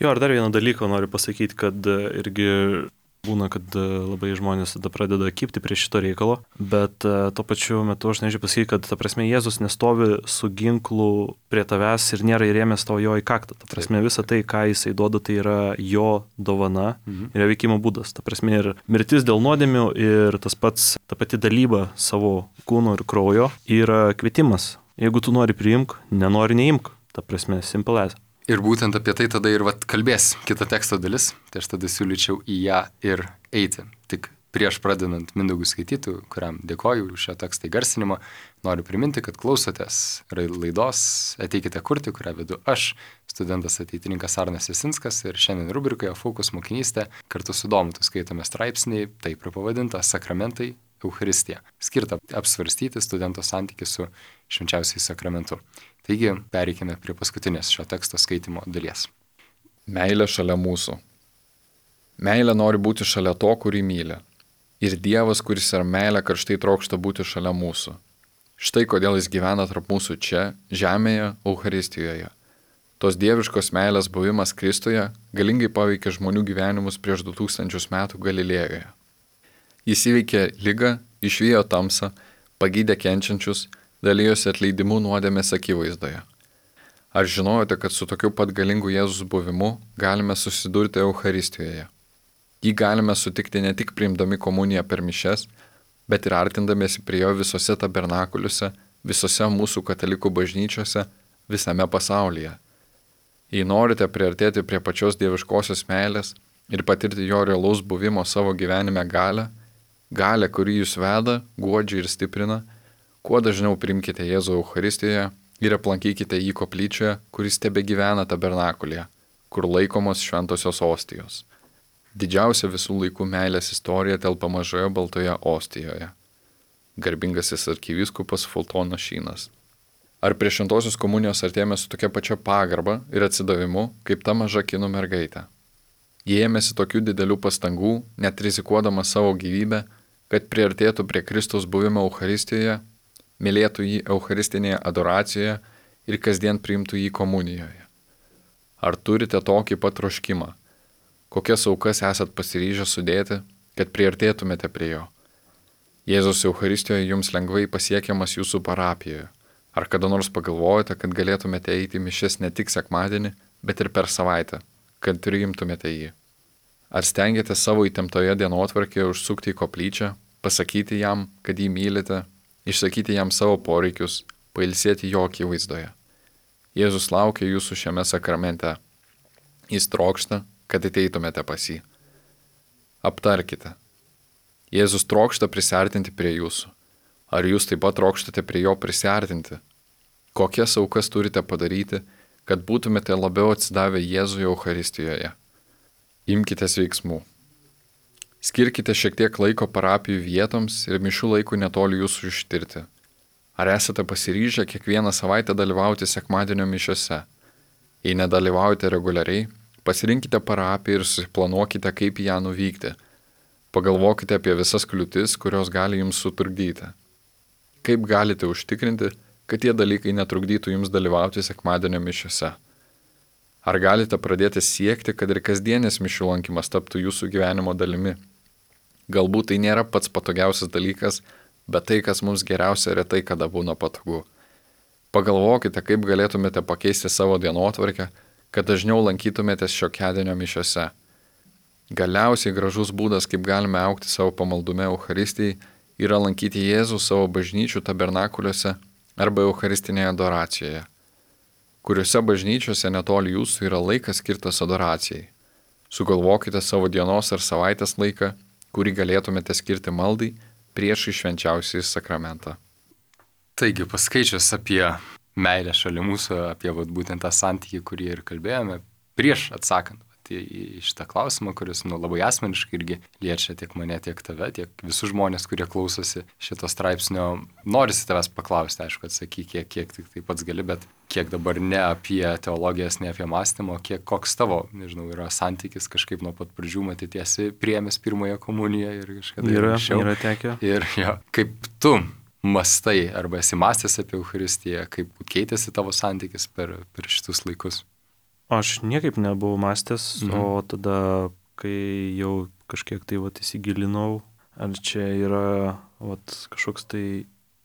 Jo, ir dar vieną dalyką noriu pasakyti, kad irgi Būna, kad labai žmonės tada pradeda kypti prie šito reikalo, bet tuo pačiu metu aš nežinau pasakyti, kad ta prasme Jėzus nestovi su ginklu prie tavęs ir nėra įrėmęs tau jo į kaktą. Ta prasme visa tai, ką jisai duoda, tai yra jo dovana ir veikimo būdas. Ta prasme ir mirtis dėl nuodėmių ir tas pats, ta pati dalyba savo kūno ir kraujo yra kvietimas. Jeigu tu nori priimk, nenori neimk. Ta prasme, simple as. Ir būtent apie tai tada ir kalbės kita teksto dalis, tai aš tada siūlyčiau į ją ir eiti. Tik prieš pradedant Mindaugu skaityti, kuriam dėkoju už šio teksto įgarsinimą, noriu priminti, kad klausotės laidos Ateikite kurti, kurią vedu aš, studentas ateitininkas Arnas Jasinskas, ir šiandien rubrikoje Fokus mokinystė kartu su Domantu skaitome straipsnį, taip ir pavadintą Sakramentai Eucharistija, skirta apsvarstyti studento santykį su švenčiausiai sakramentu. Taigi, pereikime prie paskutinės šio teksto skaitimo dalies. Meilė šalia mūsų. Meilė nori būti šalia to, kurį myli. Ir Dievas, kuris yra meilė, karštai trokšta būti šalia mūsų. Štai kodėl jis gyvena tarp mūsų čia, žemėje, Eucharistijoje. Tos dieviškos meilės buvimas Kristuje galingai paveikė žmonių gyvenimus prieš 2000 metų Galilėjoje. Jis įveikė ligą, išvijo tamsą, pagydė kenčiančius, dalyjosi atleidimu nuodėmės akivaizdoje. Ar žinojote, kad su tokiu pat galingu Jėzus buvimu galime susidurti Eucharistijoje? Jį galime sutikti ne tik priimdami komuniją per mišias, bet ir artindamiesi prie jo visose tabernakuliuose, visose mūsų katalikų bažnyčiose, visame pasaulyje. Jei norite priartėti prie pačios dieviškosios meilės ir patirti jo realaus buvimo savo gyvenime galę, kuri jūs veda, guodžia ir stiprina, kuo dažniau priimkite Jėzų Eucharistijoje ir aplankykite jį koplyčioje, kuris tebegyvena tabernakulyje, kur laikomos šventosios ostijos. Didžiausia visų laikų meilės istorija telpa mažoje baltoje ostijoje. Garbingasis arkivyskupas Fultonas Šynas. Ar prie šventosios komunijos artėjame su tokia pačia pagarba ir atsidavimu, kaip ta maža kinų mergaitė? Jie ėmėsi tokių didelių pastangų, net rizikuodama savo gyvybę, kad priartėtų prie Kristaus buvimo Eucharistijoje, mylėtų jį Eucharistinėje adoracijoje ir kasdien priimtų jį komunijoje. Ar turite tokį pat troškimą? Kokias aukas esat pasiryžę sudėti, kad priartėtumėte prie jo? Jėzus Eucharistijoje jums lengvai pasiekiamas jūsų parapijoje. Ar kada nors pagalvojate, kad galėtumėte eiti mišias ne tik sekmadienį, bet ir per savaitę, kad priimtumėte jį? Ar stengiatės savo įtemptoje dienotvarkėje užsukti į koplyčią, pasakyti jam, kad jį mylite, išsakyti jam savo poreikius, pailsėti jo akivaizdoje? Jėzus laukia jūsų šiame sakramente. Jis trokšta, kad ateitumėte pas jį. Aptarkite. Jėzus trokšta prisiartinti prie jūsų. Ar jūs taip pat trokštate prie jo prisiartinti? Kokias aukas turite padaryti, kad būtumėte labiau atsidavę Jėzui Eucharistijoje? Imkitės veiksmų. Skirkite šiek tiek laiko parapijų vietoms ir mišių laikų netoli jūsų ištirti. Ar esate pasiryžę kiekvieną savaitę dalyvauti sekmadienio mišiose? Jei nedalyvaujate reguliariai, pasirinkite parapiją ir susiplanuokite, kaip į ją nuvykti. Pagalvokite apie visas kliūtis, kurios gali jums sutrukdyti. Kaip galite užtikrinti, kad tie dalykai netrukdytų jums dalyvauti sekmadienio mišiose? Ar galite pradėti siekti, kad ir kasdienės mišių lankymas taptų jūsų gyvenimo dalimi? Galbūt tai nėra pats patogiausias dalykas, bet tai, kas mums geriausia, retai kada būna patogu. Pagalvokite, kaip galėtumėte pakeisti savo dienotvarkę, kad dažniau lankytumėtės šiokiadienio mišiose. Galiausiai gražus būdas, kaip galime augti savo pamaldume Eucharistijai, yra lankyti Jėzų savo bažnyčių tabernakuliuose arba Eucharistinėje adoracijoje, kuriuose bažnyčiose netoli jūsų yra laikas skirtas adoracijai. Sugalvokite savo dienos ar savaitės laiką, kurį galėtumėte skirti maldai prieš švenčiausiąjį sakramentą. Taigi, paskaičius apie meilę šalia mūsų, apie būtent tą santykį, kurį ir kalbėjome, prieš atsakant į šitą klausimą, kuris labai asmeniškai irgi liečia tiek mane, tiek tave, tiek visus žmonės, kurie klausosi šito straipsnio. Norisi tavęs paklausti, aišku, atsakyk, kiek tik tai pats gali, bet kiek dabar ne apie teologijas, ne apie mąstymą, koks tavo, yra santykis kažkaip nuo pat pradžių, matyti priėmęs pirmąją komuniją ir kažkada anksčiau. Yra tekę. Ir kaip tu mastai arba esi mąstęs apie Eucharistiją, kaip keitėsi tavo santykis per šitus laikus? Aš niekaip nebuvau mąstęs, o tada, kai jau kažkiek tai vat įsigilinau, ar čia yra vat kažkoks tai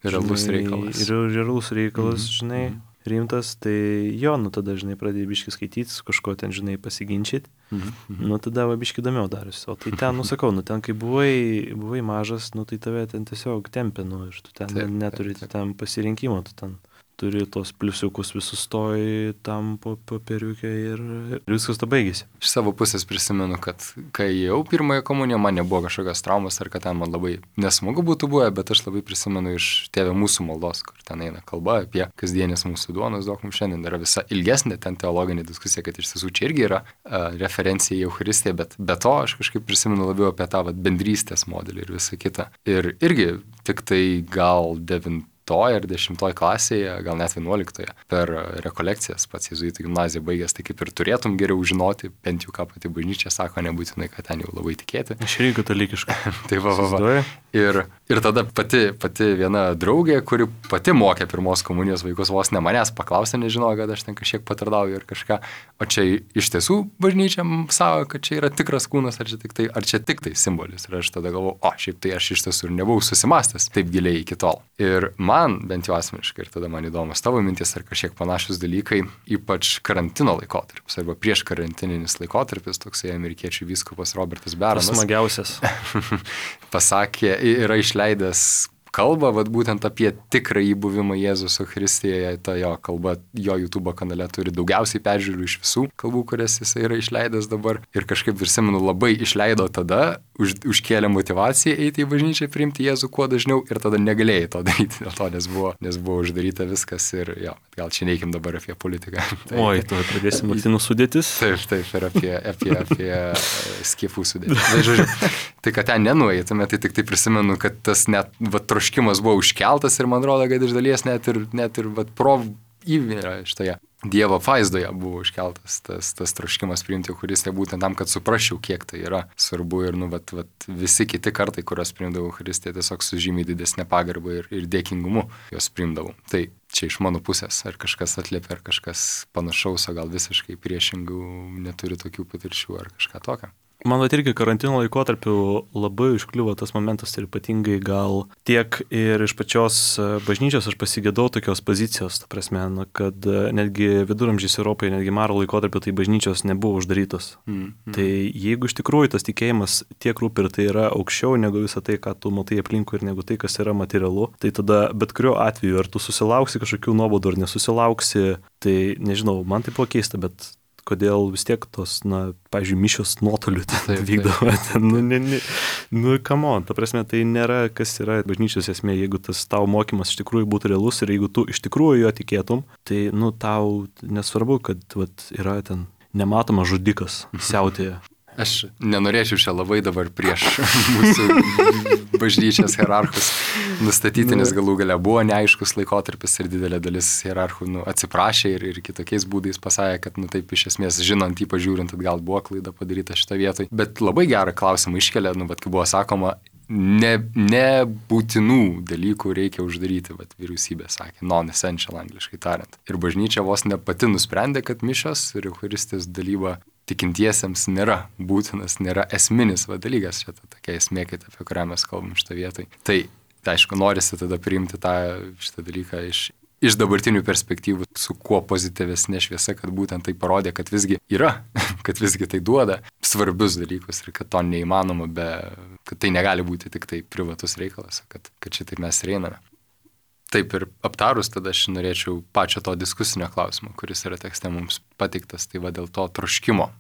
Realus reikalas. Realus reikalas, žinai, rimtas, tai jo, nu tada, žinai, pradėjai biškį skaityti, su kažko ten, žinai, pasiginčyti, nu tada va biškį įdomiau darėsi. O tai ten, nu sakau, nu ten, kai buvai mažas, nu tai tave ten tiesiog tempė, nu ir tu ten neturi ten pasirinkimo, tu ten turi tos pliusiukus visus stoji tam popieriuke ir viskas to baigėsi. Iš savo pusės prisimenu, kad kai jau pirmąją komuniją, man nebuvo kažkokios traumos ar kad ten man labai nesmagu būtų buvę, bet aš labai prisimenu iš Tėve mūsų maldos, kur ten eina kalba apie kasdienės mūsų duonos, duok mums šiandien. Yra visa ilgesnė ten teologinė diskusija, kad iš tiesų čia irgi yra referencija į Eucharistiją, bet be to aš kažkaip prisimenu labiau apie tą bendrystės modelį ir visą kitą. Ir irgi tik tai gal 9 ar 10 klasėje, gal net 11 per rekolekcijas pats jėzuitų gimnaziją baigęs, tai kaip ir turėtum geriau žinoti, bent jau ką pati bažnyčia sako, nebūtinai, kad ten jau labai tikėti. Aš irgi katalikiškai. Tai va. Ir tada pati viena draugė, kuri pati mokė pirmos komunijos vaikus, vos ne manęs paklausė, nežinojo, kad aš ten kažkiek patardauju ir kažką. O čia iš tiesų bažnyčia sako, kad čia yra tikras kūnas, ar čia tik tai simbolis. Ir aš tada galvoju, šiaip tai aš iš tiesų ir nebuvau susimastęs taip giliai iki tol. Ir man, bent jau asmeniškai, ir tada man įdomus tavo mintis ar kažkiek panašus dalykai, ypač karantino laikotarpis arba prieš karantininis laikotarpis, toksai amerikiečių vyskupas Robertas Beranas. Smagiausias. Pasakė, yra išleidęs kalbą, būtent apie tikrąjį buvimą Jėzus Eucharistijoje, ta jo kalba, jo YouTube kanale turi daugiausiai peržiūrų iš visų kalbų, kurias jis yra išleidęs dabar. Ir kažkaip prisimenu, labai išleido tada, užkėlė motivaciją eiti į bažnyčią, priimti Jėzų kuo dažniau ir tada negalėjai to daryti dėl to, nes buvo uždaryta viskas ir jo, gal čia neikim dabar apie politiką. Oi, tu pradėsim vakcinų sudėtis. Taip, ir apie skiepų sudėtis. Tai kad ten nenueitume, tai tik tai prisimenu, kad tas net troškimas buvo užkeltas ir man rodo, kad iš dalies net ir įvyrą šitoje Dievo vaizdoje buvo užkeltas tas troškimas priimti Eucharistiją būtent tam, kad suprasčiau, kiek tai yra svarbu ir visi kiti kartai, kurios priimdavau Eucharistiją, tiesiog su žymiai didesnė pagarba ir dėkingumu jos priimdavau. Tai čia iš mano pusės, ar kažkas atliepia, ar kažkas panašaus, o gal visiškai priešingų neturi tokių patirčių ar kažką tokio. Man irgi karantino laikotarpiu labai užkliuvo tas momentas ir ypatingai gal tiek ir iš pačios bažnyčios aš pasigėdau tokios pozicijos, ta prasme, kad netgi viduramžiais Europoje, netgi maro laikotarpiu, tai bažnyčios nebuvo uždarytos. Tai jeigu iš tikrųjų tas tikėjimas tiek rūpi ir tai yra aukščiau negu visą tai, ką tu matai aplinkui ir negu tai, kas yra materialu, tai tada bet kuriuo atveju, ar tu susilauksi kažkokių nuobaudų ar nesusilauksi, tai nežinau, man tai buvo keista, bet kodėl vis tiek tos, pavyzdžiui, mišios nuotoliu vykdavo. Come on, ta prasme, tai nėra, kas yra bažnyčios esmė, jeigu tas tavo mokymas iš tikrųjų būtų realus ir jeigu tu iš tikrųjų jo tikėtum, tai, tau nesvarbu, kad yra ten nematomas žudikas siautėje. Aš nenorėčiau čia labai dabar prieš mūsų bažnyčios hierarchus nustatyti, nes galų gale buvo neaiškus laikotarpis ir didelė dalis hierarchų atsiprašė ir kitokiais būdais pasakė, kad taip iš esmės žinant, ypač žiūrint, atgal buvo klaida padaryta šitą vietoj. Bet labai gerą klausimą iškelia, kaip buvo sakoma, nebūtinų dalykų reikia uždaryti, vyriausybė sakė, non-essential angliškai tariant. Ir bažnyčia vos ne pati nusprendė, kad mišios ir Eucharistijos dalyba tikintiesiems nėra būtinas, nėra esminis dalykas, čia tokia esmė, apie kurią mes kalbam šitą vietoj. Tai aišku, norisi tada priimti šitą dalyką iš dabartinių perspektyvų su kuo pozityvesnė šviesa, kad būtent tai parodė, kad visgi yra, kad visgi tai duoda svarbius dalykus ir kad to neįmanoma kad tai negali būti tik tai privatus reikalas, kad šitaip mes ir einame. Taip ir aptarus, tada aš norėčiau pačio to diskusinio klausimo, kuris yra tekste mums pateiktas, tai dėl to troškimo,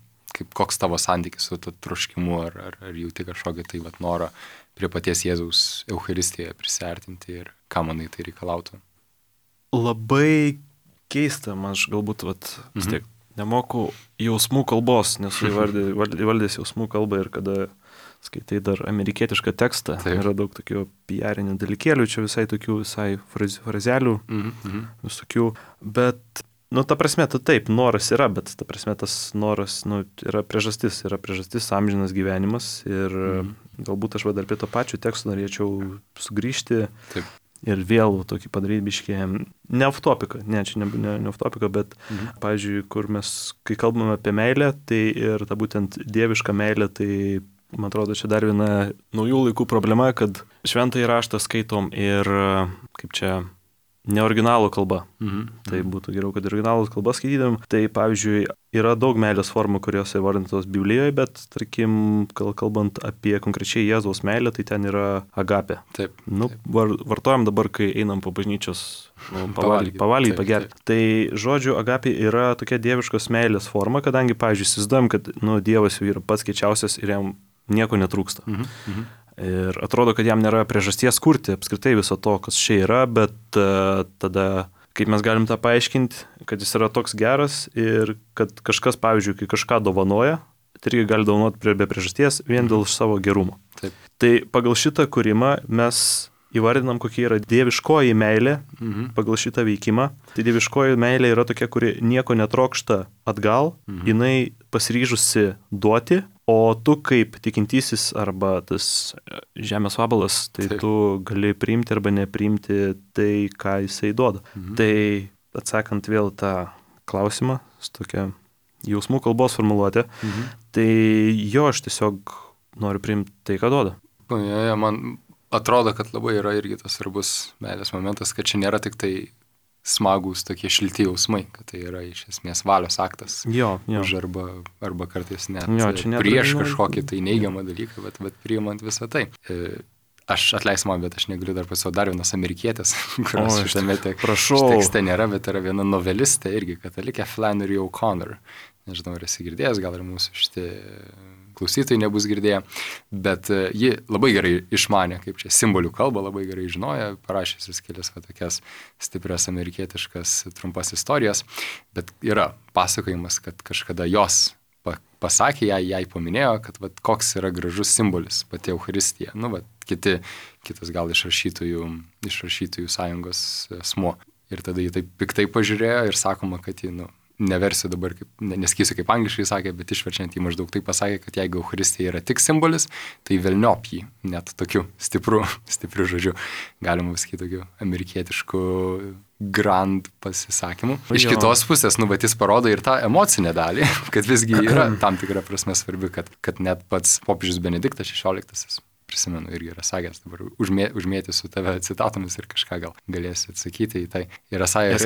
koks tavo santykis su to troškimu, ar jauti kažkokį tai norą prie paties Jėzaus Eucharistijoje prisiartinti ir ką manai tai reikalautų. Labai keista, man aš galbūt vis tiek nemoku jausmų kalbos, nesu įvaldęs jausmų kalbą ir kada skaitai dar amerikietišką tekstą, yra daug tokių PR-inių dalykėlių, čia visai frazelių, visokių, bet, ta prasme, taip, noras yra, bet ta prasme, tas noras, yra priežastis amžinas gyvenimas ir galbūt aš dar prie to pačio teksto norėčiau sugrįžti. Taip. Ir vėl tokį padaryti biškį, ne off-topiką, čia ne off-topiką, bet, pavyzdžiui, kur mes, kai kalbame apie meilę, tai ir ta būtent dieviška meilė, tai Man atrodo, čia dar viena naujų laikų problema, kad šventąjį raštą skaitom ir, kaip čia, ne originalų kalba. Tai būtų geriau, kad originalų kalba skaitydam. Tai pavyzdžiui, yra daug meilės formų, kurios įvardintos Biblijoje, bet, tarkim, kalbant apie konkrečiai Jėzaus meilę, tai ten yra agapė. Taip. Vartojam dabar, kai einam po bažnyčios pavalgyti, pagerti. Tai žodžiu, agapė yra tokia dieviškos meilės forma, kadangi, pavyzdžiui, įsivaizduojam, kad Dievas jau yra pats kiečiausias ir jam nieko netrūksta. Ir atrodo, kad jam nėra priežasties kurti apskritai viso to, kas čia yra, bet tada, kaip mes galim tą paaiškinti, kad jis yra toks geras ir kad kažkas, pavyzdžiui, kai kažką dovanoja, tai irgi gali dovanoti be priežasties vien dėl savo gerumo. Taip. Tai pagal šitą kūrimą mes įvardinam, kokia yra dieviškoji meilė pagal šitą veikimą. Tai dieviškoji meilė yra tokia, kuri nieko netrokšta atgal, jinai pasiryžusi duoti, o tu kaip tikintysis arba tas žemės vabalas, tai tu gali priimti arba nepriimti tai, ką jisai duoda. Tai atsakant vėl tą klausimą, su tokia jausmų kalbos formuluotė, tai jo, aš tiesiog noriu priimti tai, ką duoda. Man atrodo, kad labai yra irgi tas svarbus meilės momentas, kad čia nėra tik tai smagūs tokie šilti jausmai, kad tai yra iš esmės valios aktas. Jo. Už arba kartais net prieš kažkokį tai neigiamą dalyką, bet priimant visą tai. Aš atleisiu man, bet aš negaliu dar pasakoti dar vienas amerikietis, kurios šitame tekste nėra, bet yra viena novelistė irgi katalikė, Flannery O'Connor. Nežinau, ar esi girdėjęs, gal ir mūsų šitie klausytojai nebus girdėję, bet ji labai gerai išmanė, kaip čia simbolių kalbą, labai gerai žinojo, parašysis kelias tokias stiprias amerikietiškas trumpas istorijas, bet yra pasakojimas, kad kažkada jos pasakė, jai paminėjo, kad koks yra gražus simbolis pati Eucharistija. Kitas gal iš rašytojų sąjungos asmuo. Ir tada jį taip piktai pažiūrėjo ir sakoma, kad jį, neversiu dabar, nesakysiu kaip angliškai sakė, bet išverčiant jį maždaug taip pasakė, kad jeigu Eucharistija yra tik simbolis, tai velniop jį, net tokiu stipriu žodžiu, galima pasakyti tokiu amerikietišku grand pasisakymu. Iš kitos pusės, bet jis parodo ir tą emocinę dalį, kad visgi yra tam tikra prasme svarbi, kad net pats popiežius Benediktas XVI, prisimenu, irgi yra sakęs, dabar užmėtysiu tave citatomis ir kažką gal galėsiu atsakyti į tai. Yra sakęs,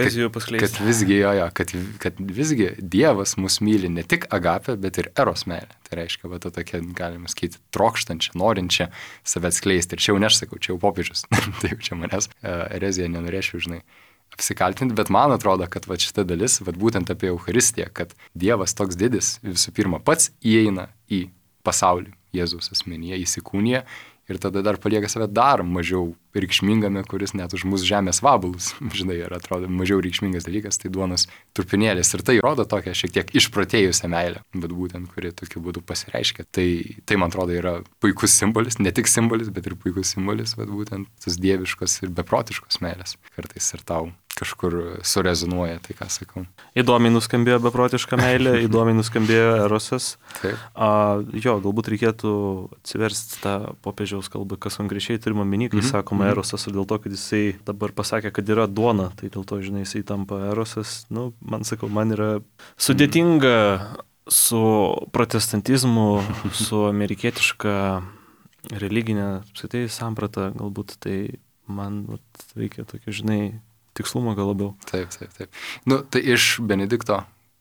kad visgi Dievas mus myli ne tik agapę, bet ir eros meilę. Tai reiškia, tokia, galima sakyti, trokštančią, norinčią save atskleisti. Ir čia jau nesakau, čia jau popiežius. Tai jau čia manęs ereziją nenorėčiau, apsikaltinti, bet man atrodo, kad šita dalis, būtent apie Eucharistiją, kad Dievas toks didis, visų pirma, pats įeina į pasaulį. Jėzaus asmenyje įsikūnija ir tada dar palieka save dar mažiau reikšmingame, kuris net už mūsų žemės vabalus, ir atrodo mažiau reikšmingas dalykas, tai duonos trupinėlis. Ir tai rodo tokią šiek tiek išprotėjusią meilę, bet būtent, kuri tokiu būdu pasireiškia. Tai man atrodo yra puikus simbolis, ne tik simbolis, bet ir puikus simbolis, būtent tas dieviškos ir beprotiškos meilės. Kartais ir tau kažkur surezonuoja tai, ką sakau. Įdomiai nuskambėjo beprotiška meilė, įdomiai nuskambėjo erosas. Galbūt reikėtų atsiversti tą popiežiaus kalbą, kas konkrečiai turime omeny, kai sakoma erosas, dėl to, kad jisai dabar pasakė, kad yra duona, tai dėl to, jisai tampa erosas. Man yra sudėtinga su protestantizmu, su amerikietiška religinė samprata, galbūt tai man reikia tokio, tikslumo gal labiau. Taip. Tai iš Benedikto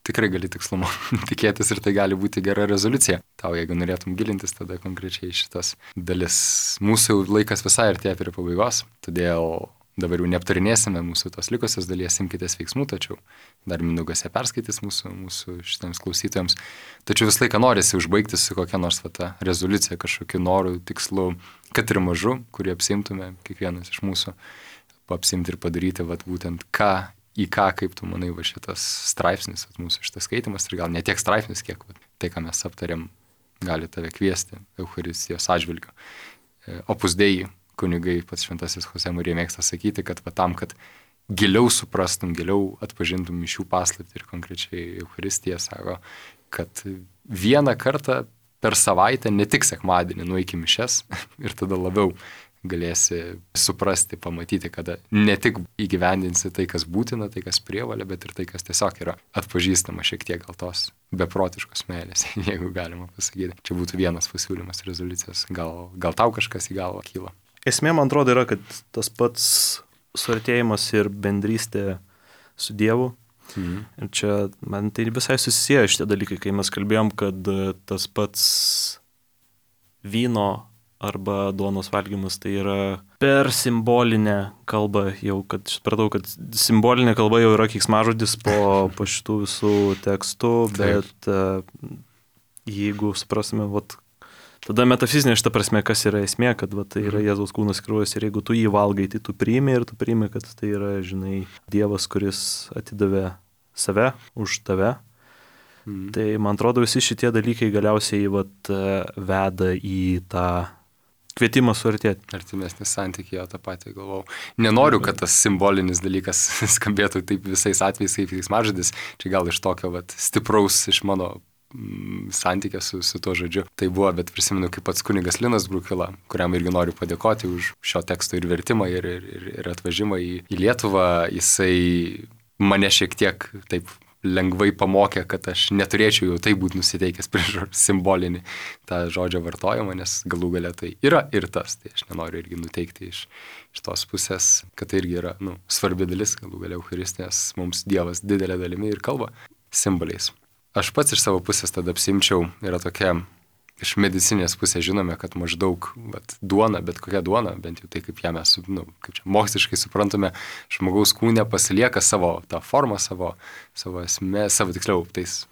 tikrai gali tikslumo tikėtis ir tai gali būti gera rezoliucija. Tau, jeigu norėtum gilintis, tada konkrečiai šitas dalis. Mūsų laikas visai artėja prie pabaigos, todėl dabar jau neaptarinėsime mūsų tos likusios dalies, imkitės veiksmų, tačiau dar Mindaugas ją perskaitys mūsų šitiems klausytojams. Tačiau visą laiką norisi užbaigti su kokia nors rezoliucija, kažkokiu noru, tikslu, kad ir mažu, kurį apsimtume kiekvienas iš mūsų. Apsimti ir padaryti, būtent į ką, kaip tu manai, šitas straipsnis, mūsų šitas skaitimas, ir gal ne tiek straipsnis, kiek tai, ką mes aptarėm, gali tave kviesti Eucharistijos atžvilgiu. Opus Dei kunigai, pats šventasis Jose Marija mėgsta sakyti, kad tam, kad giliau suprastum, giliau atpažintum mišių paslaptį ir konkrečiai Eucharistiją, sako, kad vieną kartą per savaitę, ne tik sekmadienį, nueiki mišias ir tada labiau galėsi suprasti, pamatyti, kada ne tik įgyvendinsi tai, kas būtina, tai, kas prievalė, bet ir tai, kas tiesiog yra atpažįstama šiek tiek gal tos beprotiškos meilės, jeigu galima pasakyti. Čia būtų vienas pasiūlymas rezoliucijos. Gal tau kažkas į galvą kyla? Esmė, man atrodo, yra, kad tas pats suartėjimas ir bendrystė su Dievu. Ir čia man tai visai susisieja šitie dalykai, kai mes kalbėjom, kad tas pats vyno arba duonos valgymas tai yra per simbolinę kalbą, jau kad supratau, kad simbolinė kalba jau yra keiksmažodis po šitų visų tekstų, bet jeigu suprasime, tada metafizinė šita prasme, kas yra esmė, kad tai yra Jėzaus kūnas kraujas ir jeigu tu jį valgai, tai tu priimi ir tu priimi, kad tai yra, žinai, Dievas, kuris atidavė save už tave. Tai man atrodo, visi šitie dalykai galiausiai veda į tą kvietimą suartėti. Artimesnis santykiai, tą patį galvau. Nenoriu, kad tas simbolinis dalykas skambėtų taip visais atvejais kaip keiksmažodis. Čia gal iš tokio stipraus iš mano santykė su tuo žodžiu. Tai buvo, bet prisimenu, kaip pats kunigas Linas Brukila, kuriam irgi noriu padėkoti už šio teksto ir vertimą, ir atvažimą į Lietuvą. Jisai mane šiek tiek taip lengvai pamokė, kad aš neturėčiau jau taip būti nusiteikęs prieš simbolinį tą žodžio vartojimą, nes galų gale tai yra ir tas. Tai aš nenoriu irgi nuteikti iš tos pusės, kad tai irgi yra svarbi dalis, galų gale Eucharistijos mums Dievas didelė dalimi ir kalba simboliais. Aš pats iš savo pusės tada apsimčiau, yra tokia, iš medicinės pusės žinome, kad maždaug duona, bet kokia duona, bent jau tai, kaip ją mes, kaip čia moksliškai suprantame, žmogaus kūne pasilieka savo tą formą, savo esmę, tiksliau, tais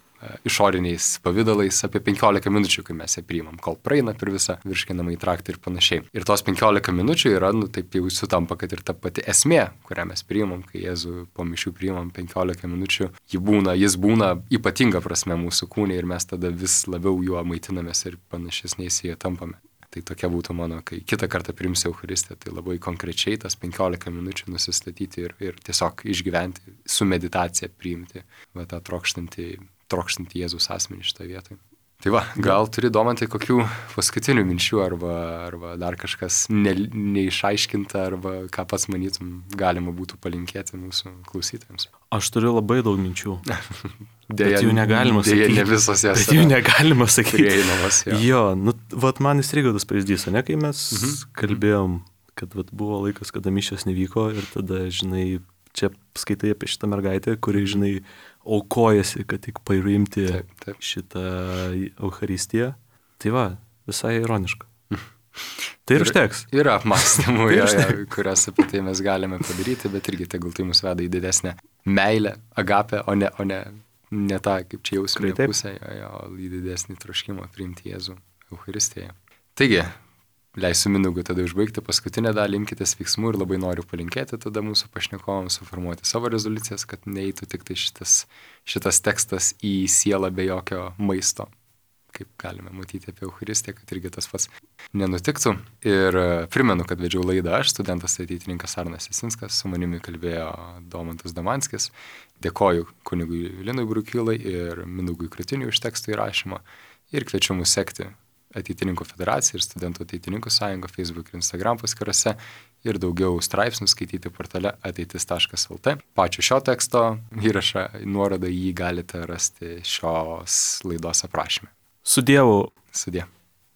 išoriniais pavydalais apie 15 minučių, kai mes ją priimam, kol praeina per visą virškinamąjį traktą ir panašiai. Ir tos 15 minučių yra, taip jau sutampa, kad ir ta pati esmė, kurią mes priimam, kai Jėzų po mišių priimam 15 minučių, jis būna ypatinga prasme mūsų kūne ir mes tada vis labiau juo maitinamės ir panašesniais jie tampame. Tai tokia būtų mano, kai kitą kartą priimsiu Eucharistiją, tai labai konkrečiai tas 15 minučių nusistatyti ir tiesiog išgyventi, su meditacija priimti tą trokštantį Jėzus asmenį šitoje vietoje. Tai gal turi, Domantai, kokių paskutinių minčių arba dar kažkas neišaiškinta arba ką pats manytum galima būtų palinkėti mūsų klausytojams? Aš turiu labai daug minčių. Dėja, jų negalima sakyti. Dėja, ne visos jas. Bet jų negalima sakyti. Prieinamas, jo, man įstrigo tas pavyzdys, ne, kai mes kalbėjom, kad buvo laikas, kada mišios nevyko ir tada, žinai, čia skaitai apie šitą mergaitę, kuri, žinai, aukojasi, kad tik paimti šitą Eucharistiją. Tai visai ironiška. Tai ir užteks. Yra apmąstymų, kurias apie tai mes galime padaryti, bet irgi tegul tai mus veda į didesnę meilę, agapę, o ne tą, kaip čia jausmė pusė, į didesnį troškimą priimti Jėzų Eucharistijoje. Taigi, leisiu Mindaugui tada užbaigti paskutinę dalį, imkitės veiksmų ir labai noriu palinkėti tada mūsų pašnekovams suformuoti savo rezoliucijas, kad neįtų tik tai šitas tekstas į sielą be jokio maisto, kaip galime matyti apie Eucharistiją, kad irgi tas pats nenutiktų. Ir primenu, kad vedžiau laidą aš, studentas ateitininkas Arnas Jasinskas, su manimi kalbėjo Domantas Damanskis. Dėkoju kunigui Linui Brukilai ir Mindaugui Kratiniui už teksto įrašymą ir kviečiu mus sekti Ateitininkų federacija ir Studentų ateitininkų sąjunga Facebook ir Instagram paskyrose ir daugiau straipsnių skaityti portale ateitis.lt. Pačio šio teksto įrašą, nuorodą jį galite rasti šios laidos aprašyme. Su Dievu. Sudie.